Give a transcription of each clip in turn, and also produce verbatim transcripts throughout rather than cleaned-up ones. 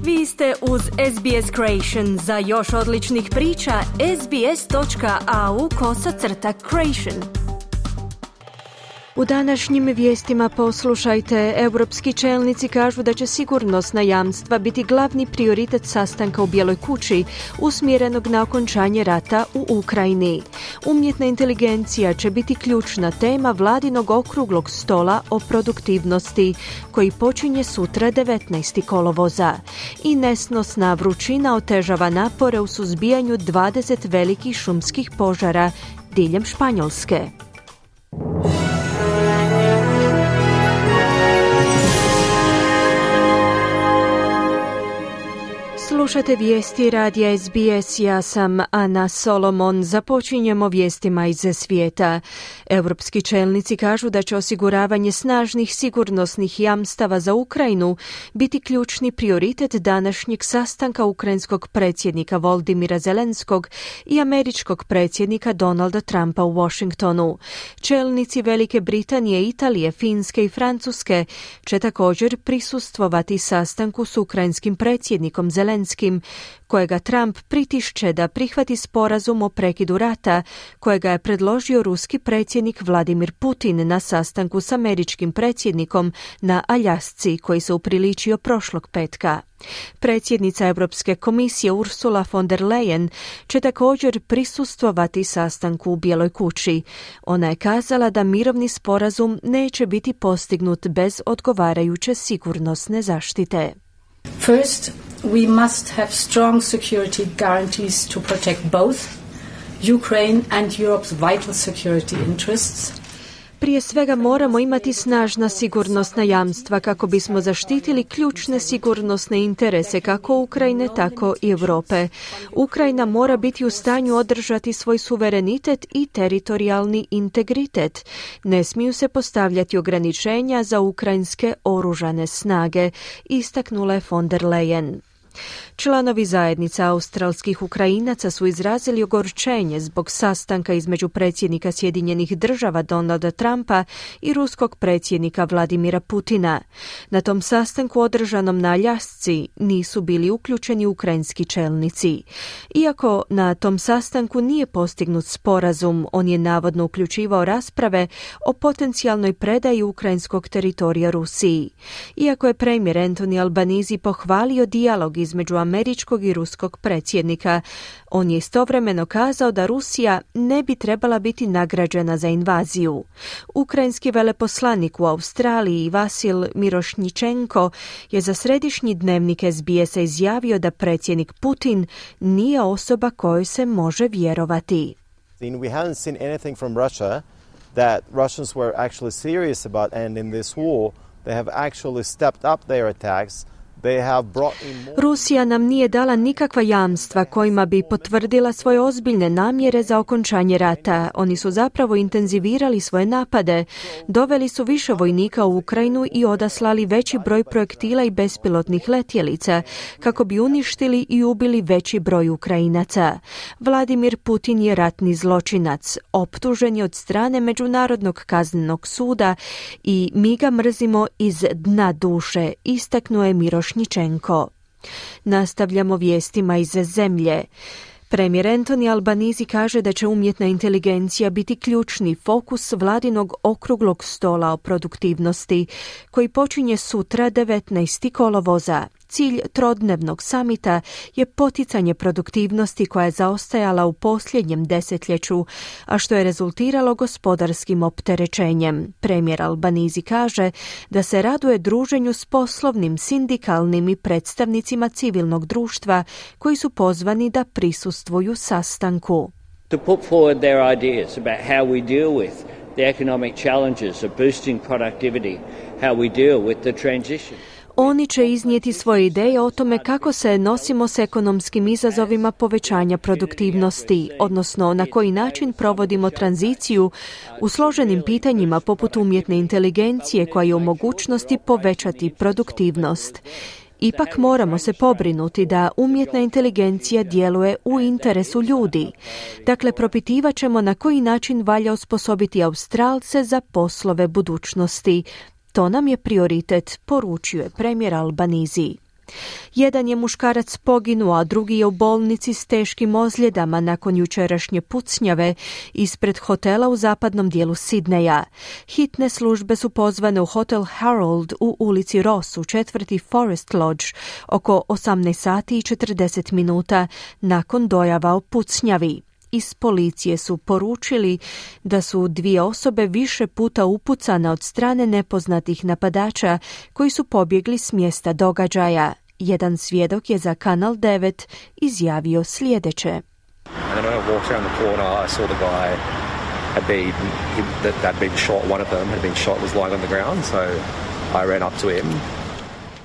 Vi ste uz S B S Creation. Za još odličnih priča, sbs.au kosacrta creation. U današnjim vijestima poslušajte, europski čelnici kažu da će sigurnosna jamstva biti glavni prioritet sastanka u Bijeloj kući, usmjerenog na okončanje rata u Ukrajini. Umjetna inteligencija će biti ključna tema vladinog okruglog stola o produktivnosti, koji počinje sutra devetnaestog kolovoza. I nesnosna vrućina otežava napore u suzbijanju dvadeset velikih šumskih požara diljem Španjolske. Slušate vijesti radija S B S, ja sam Ana Solomon. Započinjemo vijestima iz svijeta. Europski čelnici kažu da će osiguravanje snažnih sigurnosnih jamstava za Ukrajinu biti ključni prioritet današnjeg sastanka ukrajinskog predsjednika Volodymyra Zelenskog i američkog predsjednika Donalda Trumpa u Washingtonu. Čelnici Velike Britanije, Italije, Finske i Francuske će također prisustvovati sastanku s ukrajinskim predsjednikom Zelenskim, kojega Trump pritišće da prihvati sporazum o prekidu rata, kojega je predložio ruski predsjednik Vladimir Putin na sastanku s američkim predsjednikom na Aljasci, koji se upriličio prošlog petka. Predsjednica Europske komisije Ursula von der Leyen će također prisustvovati sastanku u Bijeloj kući. Ona je kazala da mirovni sporazum neće biti postignut bez odgovarajuće sigurnosne zaštite. First, we must have strong security guarantees to protect both Ukraine and Europe's vital security interests. Prije svega moramo imati snažna sigurnosna jamstva kako bismo zaštitili ključne sigurnosne interese kako Ukrajine, tako i Europe. Ukrajina mora biti u stanju održati svoj suverenitet i teritorijalni integritet. Ne smiju se postavljati ograničenja za ukrajinske oružane snage, istaknula je von der Leyen. Članovi zajednica australskih Ukrajinaca su izrazili ogorčenje zbog sastanka između predsjednika Sjedinjenih država Donalda Trumpa i ruskog predsjednika Vladimira Putina. Na tom sastanku održanom na Aljasci nisu bili uključeni ukrajinski čelnici. Iako na tom sastanku nije postignut sporazum, on je navodno uključivao rasprave o potencijalnoj predaji ukrajinskog teritorija Rusiji. Iako je premijer Anthony Albanese pohvalio dijalog između američkog i ruskog predsjednika, on je istovremeno kazao da Rusija ne bi trebala biti nagrađena za invaziju. Ukrajinski veleposlanik u Australiji Vasil Mirošnjičenko je za središnji dnevnik S B S-a izjavio da predsjednik Putin nije osoba kojoj se može vjerovati. We haven't seen anything from Russia that Russians were actually serious about ending this war. They have actually stepped up their attacks. Rusija nam nije dala nikakva jamstva kojima bi potvrdila svoje ozbiljne namjere za okončanje rata. Oni su zapravo intenzivirali svoje napade, doveli su više vojnika u Ukrajinu i odaslali veći broj projektila i bespilotnih letjelica kako bi uništili i ubili veći broj Ukrajinaca. Vladimir Putin je ratni zločinac, optužen je od strane Međunarodnog kaznenog suda i mi ga mrzimo iz dna duše, istaknuo je Miroš Ničenko. Nastavljamo vijestima iz zemlje. Premijer Anthony Albanese kaže da će umjetna inteligencija biti ključni fokus vladinog okruglog stola o produktivnosti, koji počinje sutra devetnaestog kolovoza. Cilj trodnevnog samita je poticanje produktivnosti koja je zaostajala u posljednjem desetljeću, a što je rezultiralo gospodarskim opterećenjem. Premijer Albanese kaže da se raduje druženju s poslovnim, sindikalnim i predstavnicima civilnog društva koji su pozvani da prisustvuju sastanku. To put forward their ideas about how we deal with the economic challenges of boosting productivity, how we deal with the transition. Oni će iznijeti svoje ideje o tome kako se nosimo s ekonomskim izazovima povećanja produktivnosti, odnosno na koji način provodimo tranziciju u složenim pitanjima poput umjetne inteligencije koja je u mogućnosti povećati produktivnost. Ipak moramo se pobrinuti da umjetna inteligencija djeluje u interesu ljudi. Dakle, propitivat ćemo na koji način valja osposobiti Australce za poslove budućnosti. To nam je prioritet, poručio je premijer Albanese. Jedan je muškarac poginuo, a drugi je u bolnici s teškim ozljedama nakon jučerašnje pucnjave ispred hotela u zapadnom dijelu Sidneja. Hitne službe su pozvane u hotel Harold u ulici Ross u četvrti Forest Lodge oko osamnaest sati i četrdeset minuta nakon dojava o pucnjavi. Iz policije su poručili da su dvije osobe više puta upucane od strane nepoznatih napadača koji su pobjegli s mjesta događaja. Jedan svjedok je za Kanal devet izjavio sljedeće.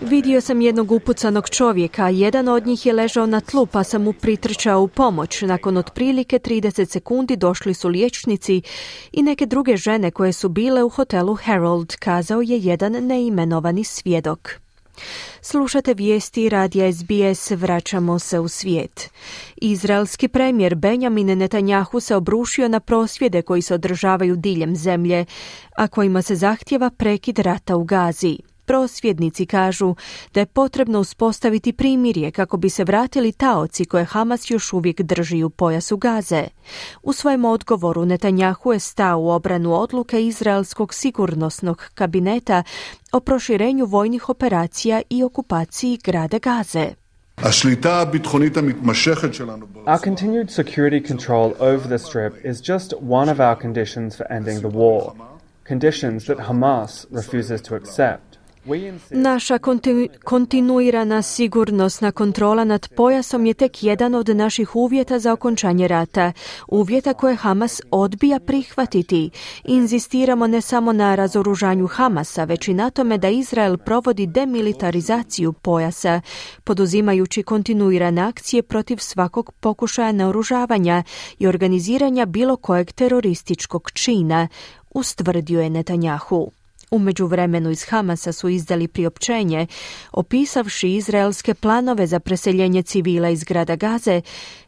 Vidio sam jednog upucanog čovjeka, jedan od njih je ležao na tlu pa sam mu pritrčao u pomoć. Nakon otprilike trideset sekundi došli su liječnici i neke druge žene koje su bile u hotelu Harold, kazao je jedan neimenovani svjedok. Slušate vijesti radija S B S, vraćamo se u svijet. Izraelski premijer Benjamin Netanjahu se obrušio na prosvjede koji se održavaju diljem zemlje, a kojima se zahtjeva prekid rata u Gazi. Prosvjednici kažu da je potrebno uspostaviti primirje kako bi se vratili taoci koje Hamas još uvijek drži u pojasu Gaze. U svojem odgovoru Netanjahu je stao u obranu odluke Izraelskog sigurnosnog kabineta o proširenju vojnih operacija i okupaciji grada Gaze. Our continued security control over the strip is just one of our conditions for ending the war. Conditions that Hamas refuses to accept. Naša kontinu, kontinuirana sigurnosna kontrola nad pojasom je tek jedan od naših uvjeta za okončanje rata, uvjeta koje Hamas odbija prihvatiti. Inzistiramo ne samo na razoružanju Hamasa, već i na tome da Izrael provodi demilitarizaciju pojasa, poduzimajući kontinuirane akcije protiv svakog pokušaja naoružavanja i organiziranja bilo kojeg terorističkog čina, ustvrdio je Netanjahu. U međuvremenu iz Hamasa su izdali priopćenje, opisavši izraelske planove za preseljenje civila iz grada Gaze,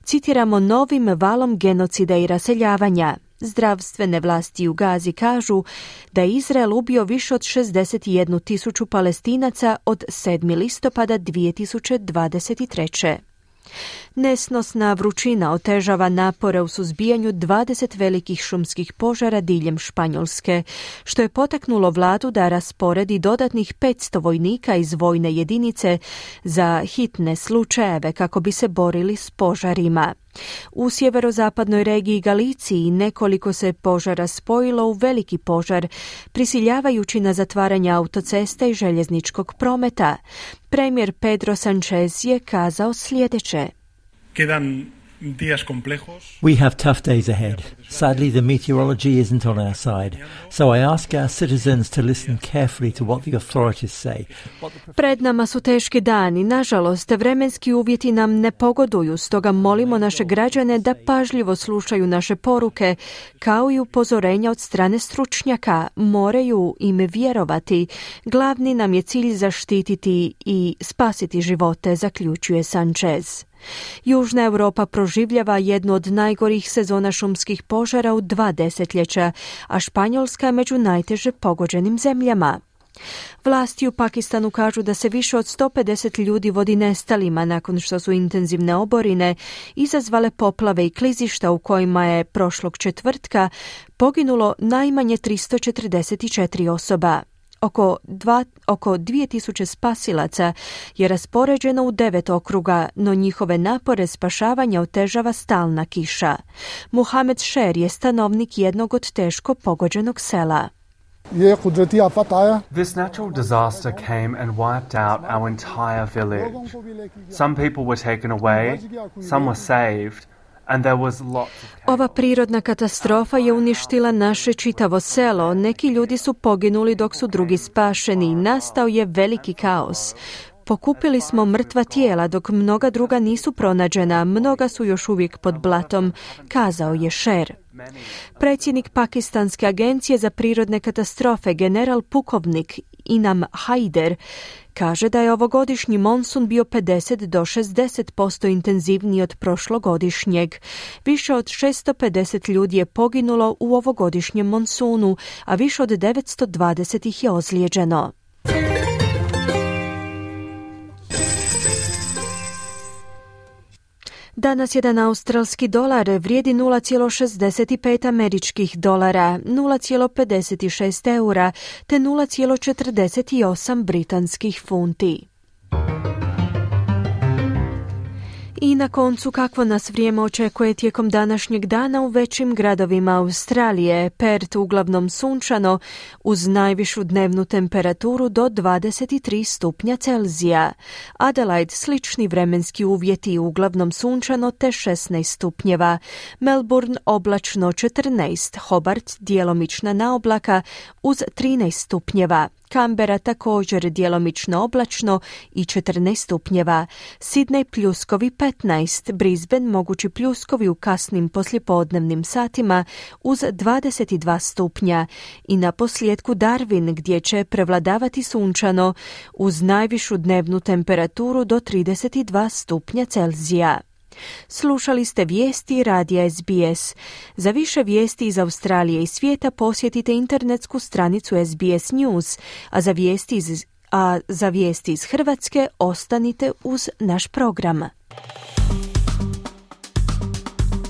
citiramo novim valom genocida i raseljavanja. Zdravstvene vlasti u Gazi kažu da je Izrael ubio više od šezdeset jednu tisuću Palestinaca od sedmog listopada dvije tisuće dvadeset treće. Nesnosna vrućina otežava napore u suzbijanju dvadeset velikih šumskih požara diljem Španjolske, što je potaknulo vladu da rasporedi dodatnih petsto vojnika iz vojne jedinice za hitne slučajeve kako bi se borili s požarima. U sjeverozapadnoj regiji Galiciji nekoliko se požara spojilo u veliki požar, prisiljavajući na zatvaranje autocesta i željezničkog prometa. Premijer Pedro Sánchez je kazao sljedeće. We have tough days ahead. Sadly, the meteorology isn't on our side, so I ask our citizens to listen carefully to what the authorities say. Pred nama su teški dani. Nažalost, vremenski uvjeti nam ne pogoduju, stoga molimo naše građane da pažljivo slušaju naše poruke, kao i upozorenja od strane stručnjaka. Moraju im vjerovati. Glavni nam je cilj zaštititi i spasiti živote, zaključuje Sánchez. Južna Europa proživljava jednu od najgorih sezona šumskih požara u dva desetljeća, a Španjolska je među najteže pogođenim zemljama. Vlasti u Pakistanu kažu da se više od sto pedeset ljudi vodi nestalima nakon što su intenzivne oborine izazvale poplave i klizišta u kojima je prošlog četvrtka poginulo najmanje tristo četrdeset četiri osoba. Oko, dva, oko dvije tisuće spasilaca je raspoređeno u devet okruga, no njihove napore spašavanja otežava stalna kiša. Muhamed Sher je stanovnik jednog od teško pogođenog sela. This natural disaster came and wiped out our entire village. Some people were taken away, some were saved. Ova prirodna katastrofa je uništila naše čitavo selo. Neki ljudi su poginuli dok su drugi spašeni. Nastao je veliki kaos. Pokupili smo mrtva tijela dok mnoga druga nisu pronađena. Mnoga su još uvijek pod blatom, kazao je Sher. Predsjednik Pakistanske agencije za prirodne katastrofe, general pukovnik Inam Haider, kaže da je ovogodišnji monsun bio pedeset do šezdeset posto intenzivniji od prošlogodišnjeg. Više od šesto pedeset ljudi je poginulo u ovogodišnjem monsunu, a više od devetsto dvadeset ih je ozlijeđeno. Danas jedan australski dolar vrijedi nula zarez šezdeset pet američkih dolara, nula zarez pedeset šest eura te nula zarez četrdeset osam britanskih funti. I na koncu, kakvo nas vrijeme očekuje tijekom današnjeg dana u većim gradovima Australije. Perth uglavnom sunčano uz najvišu dnevnu temperaturu do dvadeset tri stupnja Celzija. Adelaide slični vremenski uvjeti, uglavnom sunčano te šesnaest stupnjeva. Melbourne oblačno četrnaest, Hobart djelomična naoblaka uz trinaest stupnjeva. Canberra također djelomično oblačno i četrnaest stupnjeva. Sydney pljuskovi petnaest, Brisbane mogući pljuskovi u kasnim poslijepodnevnim satima uz dvadeset dva stupnja i na posljedku Darwin gdje će prevladavati sunčano uz najvišu dnevnu temperaturu do trideset dva stupnja Celzija. Slušali ste vijesti radija S B S. Za više vijesti iz Australije i svijeta posjetite internetsku stranicu S B S News, a za vijesti iz, a za vijesti iz Hrvatske ostanite uz naš program.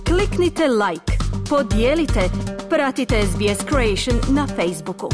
Kliknite like, podijelite, pratite S B S Creation na Facebooku.